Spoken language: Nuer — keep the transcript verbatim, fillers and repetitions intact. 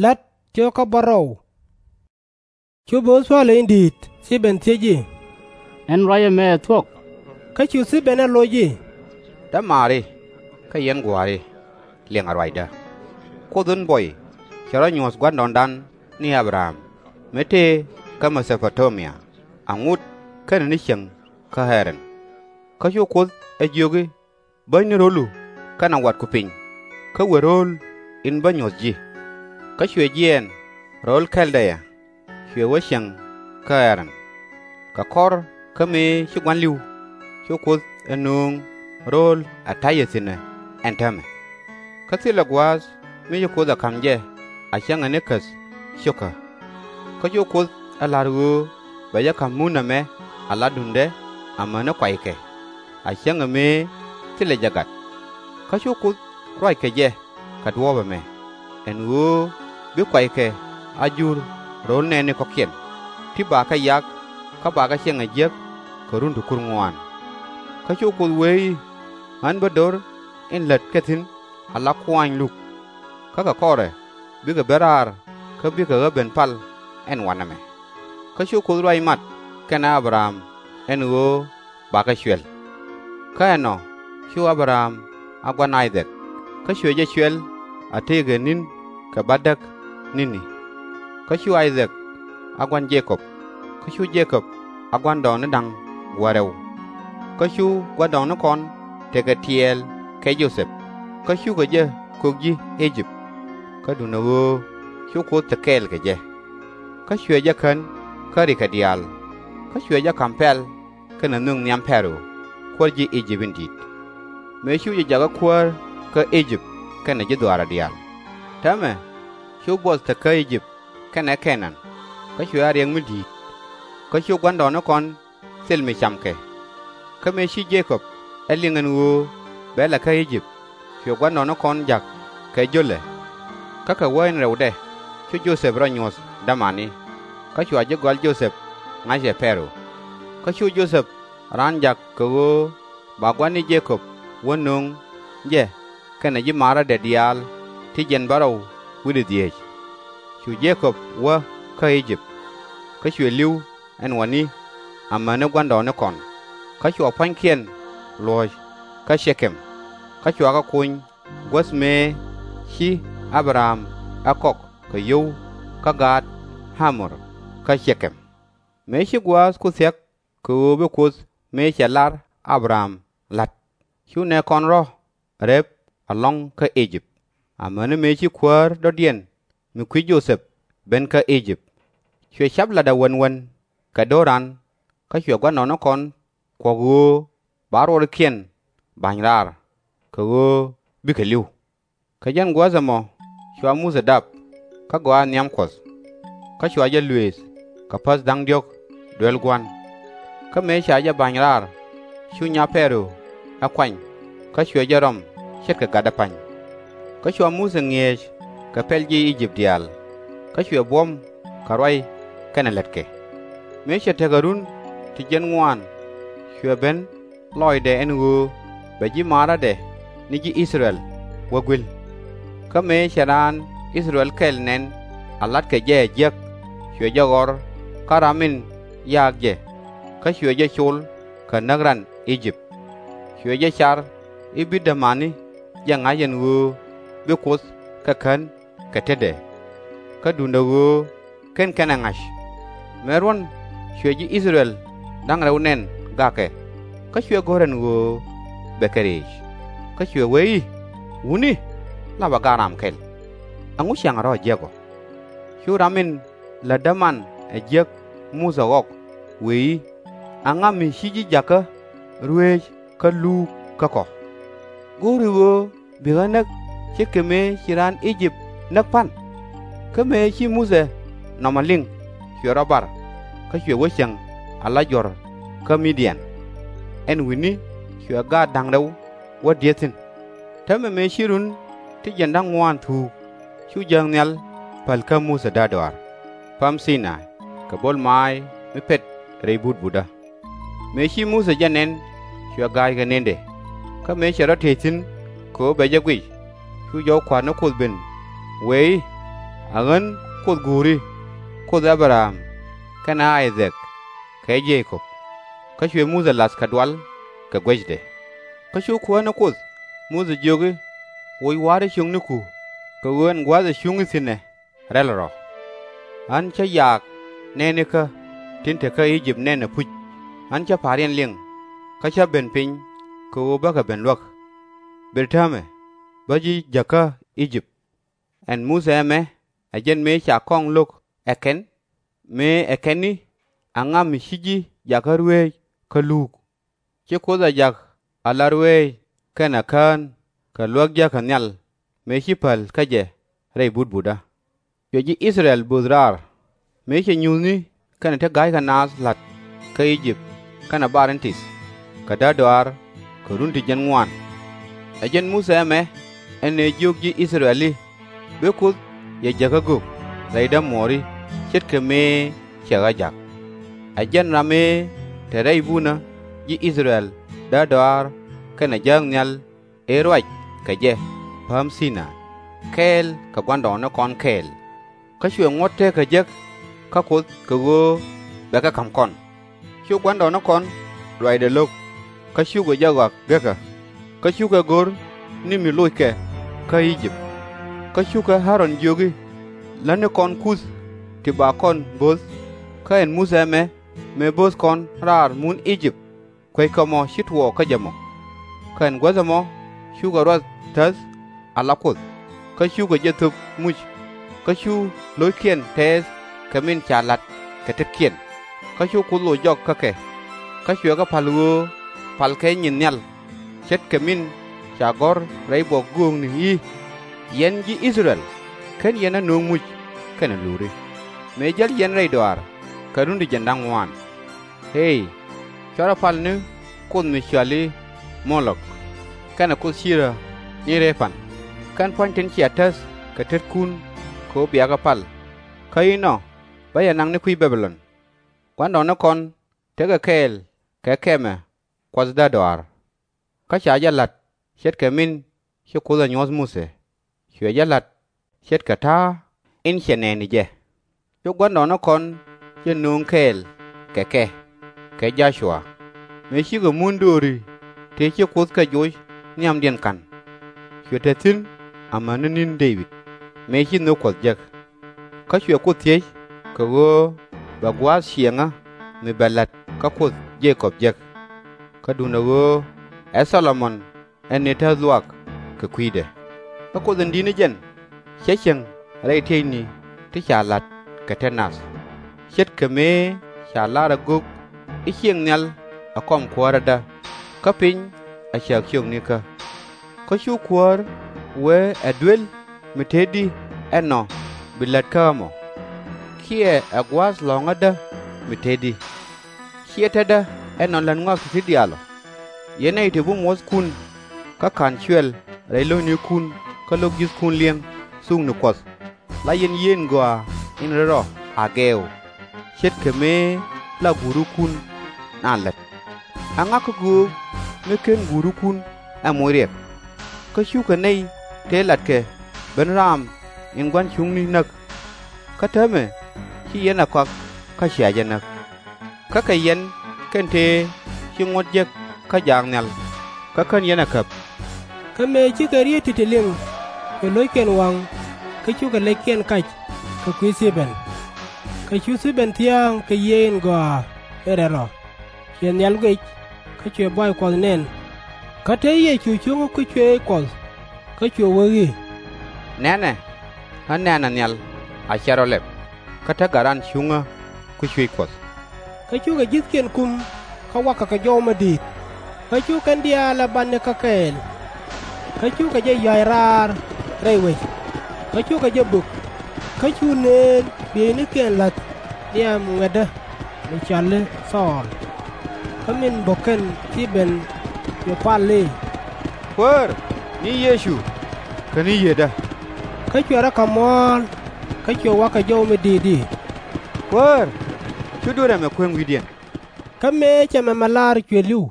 La̱t cio̱kä bärɔw. Cu bo̱o̱th palä in di̱i̱t Thibɛn thiec i̱, Ɛn ruac ɛmɛ ɛ thuɔ̱k? Kä cu Thibɛn ɛ loc i̱, Dämaari kä yɛn gua̱a̱ri, liɛŋɛ ruacdä. Kuoth in buɔy cɛ rɔ nyuɔ̱th gua̱ndɔɔŋdan ni Abraham, mi te kä Me-tho-po-ta-mia, a ŋut kɛnɛ ni cieŋ kä Ɣɛ-raan. Kä cu Kuoth ɛ jiök i̱, Bäny ni ro̱lu kɛnɛ watku piny, kä wër ro̱o̱l in bä nyuɔ̱th ji̱. Kä cuɛ jiɛɛn ro̱o̱l Kɛ̈l-dɛ-ya, cuɛ wä cieŋ kä Ɣɛ-raan. Kɛ kɔr kä mëë ci gua̱n li̱w, cu Kuoth ɛ nööŋ ro̱o̱l ɛ ta̱yɛ thi̱n ɛ ɛn täämɛ. Kä thilɛ gua̱a̱th mi ci Kuoth ɛ ka̱m jɛ a cäŋɛ ni käth cio̱kä. Kä cu Kuoth ɛ la̱r ɣöö bɛ jɛ ka̱m mun ɛmɛ ala duŋdɛ amäni kuaykɛ, a cäŋɛ mëë thilɛ jɛ gat. Kä cu Kuoth ruac kɛ jɛ kɛ duɔ̱ɔ̱p ɛmɛ, ɛn ɣöö bi kuaykɛ a jur ro̱o̱l nɛɛni kɔ̱kiɛn, ti bakɛ yak kä bakɛ ciɛŋ ɛ jiäk kɛ run ti kur ŋuan. Kä cu Kuoth wee i̱, Ɣän bä do̱r in lät kɛ thi̱n ala kuaany luk. Kä kɛ kɔrɛ bikɛ ben raar kä bikɛ ɣä ben pal ɛn wanɛ mɛ. Kä cu Kuoth ruac mat kɛnɛ Abraham ɛn ɣöö bakɛ cuɛl. Kä ɛnɔ cu Abraham a gua̱n I-thak, kä cuɛ jɛ cuɛl a tëëkɛ ni̱n kɛ bädäk ni̱ni. Kä cu I-thak a gua̱n Je-kɔb, kä cu Je-kɔb a gua̱ndɔɔŋni da̱ŋ gua̱a̱r rɛw. Kä cu gua̱ndɔɔŋnikɔn tekɛ tiɛɛl kɛ Jo-thɛp, kä cukɛ jɛ kök ji̱ I-jëp. Kä duundɛ ɣöö cu Kuoth te kɛɛl kɛ jɛ. Kä cuɛ jɛ kän kä rikɛ diaal, kä cuɛ jɛ ka̱m pɛl kɛnɛ nhök nhiam Pɛro, kuäär ji̱ I-jëp in di̱i̱t. Mëë cu jɛ jakä kuäär kä I-jëp kɛnɛ ji̱ dhɔaarɛ diaal. Täämɛ cu buɔth te kä I-jëp kɛnɛ Kɛ-naan, kä cuɛ a riɛk mi di̱i̱t. Kä cu gua̱ndɔɔŋnikɔn thil mi camkɛ. Kä mëë ci Je-kɔb ɛ liŋ ɛn ɣöö bɛ la̱t kä I-jëp, cuɛ gua̱ndɔɔŋnikɔn ja̱k kɛ jölɛ. Kä kɛ wä in rɛwdɛ cu Jo-thɛp rɔ nyuɔ̱th dämani, kä cua ji̱ gɔal Jo-thɛp ŋa̱c ɛ Pɛro. Kä cu Jo-thɛp raan ja̱k kɛ ɣöö ba gua̱n ni Je-kɔb wä nöŋ jɛ kɛnɛ ji̱ maarädɛ diaal ti jiɛn bärɔw wi̱cdɛ dhieec. Cu Je-kɔb wä kä I-jëp, kä cuɛ li̱w ɛn wä ni amäni gua̱ndɔɔŋnikɔn, kä cua pua̱nykiɛn luɔ̱ɔ̱c kä Cɛ-kɛm, kä cua kɛ kony guäth mëë ci A-bɛ-ram ɛ kɔk kɛ yio̱w kä gaat Ɣa-mor kä Cɛ-kɛm. Mëë ci gua̱a̱th ku thia̱k kɛ ɣöö bi Kuoth mëë cɛ lar A-bɛ-ram la̱t, cu nɛɛkɔn rɔ̱ rep ɛlɔ̱ŋ kä I-jëp, amäni mëë ci kuäär dɔ̱diɛn mi kui̱c Jo-thɛp ben kä I-jëp. Cuɛ ca̱p la̱tdɛ wän wän kɛ do̱ran, kä cuɛ gua̱ndɔɔŋnikɔn kuɔ̱k ɣöö ba ruɔrikiɛn ba̱ny raar, kɛ ɣöö bikɛ li̱w. Kɛ jɛn gua̱a̱th ɛmɔ cua Muthɛ dap, kä gɔaa nhiam Kuɔth, kä cua jɛ luëëth kɛ päth da̱ŋ diɔ̱k duel gua̱n. Kä mëë ca jɛ ba̱ny raar, cu nya Pɛro ɛ kuany, kä cuɛ jɛ rɔm ce̱tkɛ gatdɛ pa̱ny. Kä cua Muthɛ ŋi̱eec kɛ pɛl ji̱ I-jëp diaal, kä cuɛ buɔ̱m kɛ ruac kɛnɛ lätkɛ. Mëë cɛ tekɛ run ti jiɛn ŋuan, cuɛ ben lɔcdɛ ɛn ɣöö bɛ ji̱ maarädɛ ni ji̱ I-thɛ-rɛl wä gui̱l. Kä mëë cɛ raan I-thɛ-rɛl kɛl nɛn a la̱tkɛ jɛ ɛ jiäk, cuɛ jɛ ɣɔr kä ram in yaak jɛ, kä cuɛ jɛ col kɛ näk ran I-jëp. Cuɛ jɛ car i̱ bi dämani jɛ ŋa̱c ɛn ɣöö bi Kuoth kɛ kän kɛ tetdɛ, kä duundɛ ɣöö /ken kɛn ɛ ŋa̱c. Mëë ruɔ̱n cuɛ ji̱ I-thɛ-rɛl da̱ŋ rɛw nɛn gakɛ, kä cuɛ go̱r ɛn ɣöö bɛ kɛ rëëc. Kä cuɛ wee i̱, Wutni, lapɛ ga̱a̱ ram kɛl. Ɛŋu ciaŋɛ rɔ̱ ɛ jiäk ɔ? Cu ram in lät däman ɛ jiäk Muthɛ ɣɔk wëë i̱, Ɛŋa mi ci ji̱ jakä ruëëc kä luuk kä kɔ? Go̱o̱ri ɣöö bi ɣä näk ce̱tkɛ mëë ci raan I-jëp näk pa̱n? Kä mëë ci Muthɛ nɔmɔ liŋ, cuɛ rɔ bar, kä cuɛ wä cieŋ ala juɔ̱r kä Mi-dian. Ɛn wi̱ni cuɛ gaat da̱ŋ rɛw wä dieth thi̱n. Täämɛ mëë ci run ti jiɛn da̱ŋ ŋuan thuuk, cu Jääk Nhial päl kä Muthɛ däär dɔaar päm Thi-nay kɛ bo̱l maac mi pet rɛy butbutä. Mëë ci Muthɛ jɛ nɛn, cuɛ ga̱a̱c kɛ nëndɛ. Kä mëë cɛ rɔ tëë thi̱n kɛ ɣöö bɛ jɛ guic, cu jɔw kua̱r ni Kuoth ben wëë i̱, ɛ ɣän Kuoth Guuri, Kuoth Ɛ-bɛ-ram kɛnɛ Ay-dhɛk kɛ Je-kɔb. Kä cuɛ Muthɛ la̱th kɛ dual kɛ guecdɛ. Kä cu Kuäär ni Kuoth, Muthɛ jiök i̱, Woc wa̱a̱ri ciökniku, kɛ ɣöö ɛn gua̱a̱th ɛ cuŋni thi̱n ɛ rɛl rɔ. Ɣän cä yaak nɛɛnikä tin te kä I-jëp nɛn ɛpuc. Ɣän cä pa̱a̱riɛn liŋ, kä cä ben piny kɛ ɣöö bäkɛ ben luäk. Ber täämɛ bä ji̱ jäkä I-jëp. Ɛn Muthɛ ɛmɛ, ɛ jɛn mëë ca kɔŋ lo̱k ɛ kɛn, mëë ɛ kɛn i̱, Aŋa mi ci ji̱ jakä ruëëc kä luuk? Ci Kuoth ɛ jak ala ruëëc kɛnɛ kään kɛ luäk jäkä nhial mëë ci päl kä jɛ rɛy butbutdä. Cuɛ ji̱ I-thɛ-rɛl böth raar, mëë cɛ nyuuthni kɛnɛ ti ga̱ykɛ naath la̱t kä I-jëp kɛnɛ bar in tith, kɛ därdɔaar kɛ run ti jiɛn ŋuan. Ɛ jɛn Muthɛ ɛmɛ ɛn ëë jiök ji̱ I-thɛ-rɛl i̱, Bi Kuoth yɛ jäkä gök rɛydä muɔɔri ce̱tkɛ mëë cɛ ɣä jak. Ɛ jɛn ram ëë te rɛy bunä ji̱ I-thɛ-rɛl därdɔaar kɛnɛ jääk nhial ëë ruac kɛ jɛ pääm Thi-nay, kɛɛl kɛ gua̱ndɔɔŋnikɔn kɛɛl. Kä cuɛ ŋuɔ̱t teekä jek kä Kuoth kɛ ɣöö bɛ kɛ ka̱m kɔn. Cu gua̱ndɔɔŋnikɔn ruacdɛ lo̱k, kä cukɛ jɛ ɣɔak gekä. Kä cukɛ go̱r ni mi lockɛ kä I-jëp. Kä cukɛ Ä-ron jiök i̱, Lätnikɔn kuth ti ba kɔn bo̱th. Kä ɛn Muthɛ ɛmɛ mëë bo̱o̱th kɔn raar mun I-jëp, kueckɛ mɔ ci tuɔɔk kä jɛ mɔ. Kä ɛn guäth ɛmɔ cukɛ ruath täth ala Kuoth, kä cukɛ jɛ thöp muc. Kä cu lo̱ckiɛn tɛɛth kɛ min ca la̱t kɛ tetkiɛn. Kä cu Kuoth loc jɔk kä kɛ, kä cuɛ kɛ pa̱l ɣöö palkɛ nyin nhial, ce̱tkɛ min ca gɔ̱r rɛy buɔk göökni i̱, Yɛn ji̱ I-thɛ-rɛl, /ken yɛn ɣä nööŋ muc kɛnɛ luuri, mëë jäl yɛn rɛy dɔaar kɛ run ti jiɛn da̱ŋ ŋuan. Ëë, /cuarɛ pal ni kuoth mi cɔal i̱ Mo-lɔk, kɛnɛ kuoth Ci-rä ni Rɛ-pan, kɛn pua̱ny tin cia täth kɛ tetkun kɛ ɣöö bia kɛ pal. Kä inɔ bä yɛ naŋ ni kui̱ Bɛ̈-bi-lɔn. Gua̱ndɔɔŋnikɔn tekɛ kɛɛl kɛ kɛmɛ kuath därdɔaar. Kä ca jɛ la̱t ce̱tkɛ min ci Kuoth ɛ nyuɔ̱th Muthɛ, cuɛ jɛ la̱t ce̱tkɛ ta̱a̱ in cɛ nɛɛni jɛ. Cu gua̱ndɔɔŋnikɔn jɛ nööŋ kɛɛl kɛ kɛ, kɛ Jɔ-cua, mëë cikɛ mun dööri tëë ci Kuoth kɛ joc nhiamdiɛn ka̱n. Cuɛ te thi̱n amäni ni̱n Dee-bid mëë ci nhök Kuɔth jek. Kä cuɛ Kuoth thiec kɛ ɣöö bɛ gua̱a̱th ciɛŋä mi bɛ la̱t kä Kuoth Je-kɔb jek. Kä duundɛ ɣöö ɛ Thɔ-lo-mon ɛn ëë täth luaak kɛ kui̱dɛ. Kä Kuoth in di̱t ni jɛn cä cieŋ rɛy tiecni ti ca la̱t kɛ tet nath, ce̱tkɛ mëë ca lar ɛ gök i̱ ciëŋ nhial ɛ kɔm kuäärädä, kä piny a cääk ciöknikä. Kä cu kuäär wee ɛ duel mi te di ɛnɔ bi lät kä ɣä mɔ, kiɛ ɛ gua̱a̱th lɔ̱ŋädä mi te di. /Ciɛ tetdä ɛnɔ lät ŋɔak ti̱ti̱ diaal ɔ. Yɛn nɛy ti bi muɔ̱thkun kä /ka̱n cuɛl rɛy lo̱cnikun kä lo̱k ji̱thkun li̱eŋ thukni Kuɔth, la yɛn yieen gɔaa in rɛl rɔ a gɛɛk ɔ, ce̱tkɛ mëë la guurikun naath lät. Aŋa kä göök mi /ken guurikun ɛ moc riɛk? Kä cukɛ nɛy tëë latkɛ ben raam in gua̱n cuŋni näk. Kä täämɛ ci yɛn ɛ kɔak kä cia jɛ näk. Kä kɛ yɛn kɛn tëë ci ŋuɔ̱t jek kä jaak nhial, kä /kän yɛn ɛ käp. Kä mëë cikɛ riet ti̱ti̱ liŋ, cuɛ lo̱ckiɛn waŋ, kä cukɛ lɛckiɛn kac kɛ kui̱ Thi-bɛn. Kä cu Thi-bɛn thia̱a̱ŋ kɛ yiëë in gɔaa in rɛl rɔ, cuɛ nhial guic, kä cuɛ buay Kuɔth nɛn. Kä te Yecu cuŋä kui̱ cuëëc Kuɔth, kä cuɛ wee i̱, Nɛnɛ, ɣän nɛ̈nɛ nhial a cɛ rɔ lɛp, kä te Gat Ran cuŋä kui̱ cuëëc Kuɔth. Kä cukɛ ji̱thkiɛn kum kä wakɛ kɛ jɔw mi di̱i̱t, kä cu kɛn diaal ɛ batni kä kɛɛl. Kä cukɛ jɛ yua̱c raar rɛy wec, kä cukɛ jɛ bök. Kä cu neen bieynikiɛn la̱th nhiam ŋuɛ̈tdä mi cɔal i̱ Thɔɔl. Kä min bök kɛn Thi-bɛn cuɛ pal i̱, Kuäär, ni Yecu, käni Yiëëdä. Kä cuɛ rɔ kɛ muɔ̱ɔ̱l, kä cuɛ wa̱k kɛ jɔw mi di̱i̱t i̱, Kuäär, /cu duer ɛmɛ kueŋ wi̱i̱diɛn. Kä mëë cɛ mɛmɛ lar cuɛ li̱w.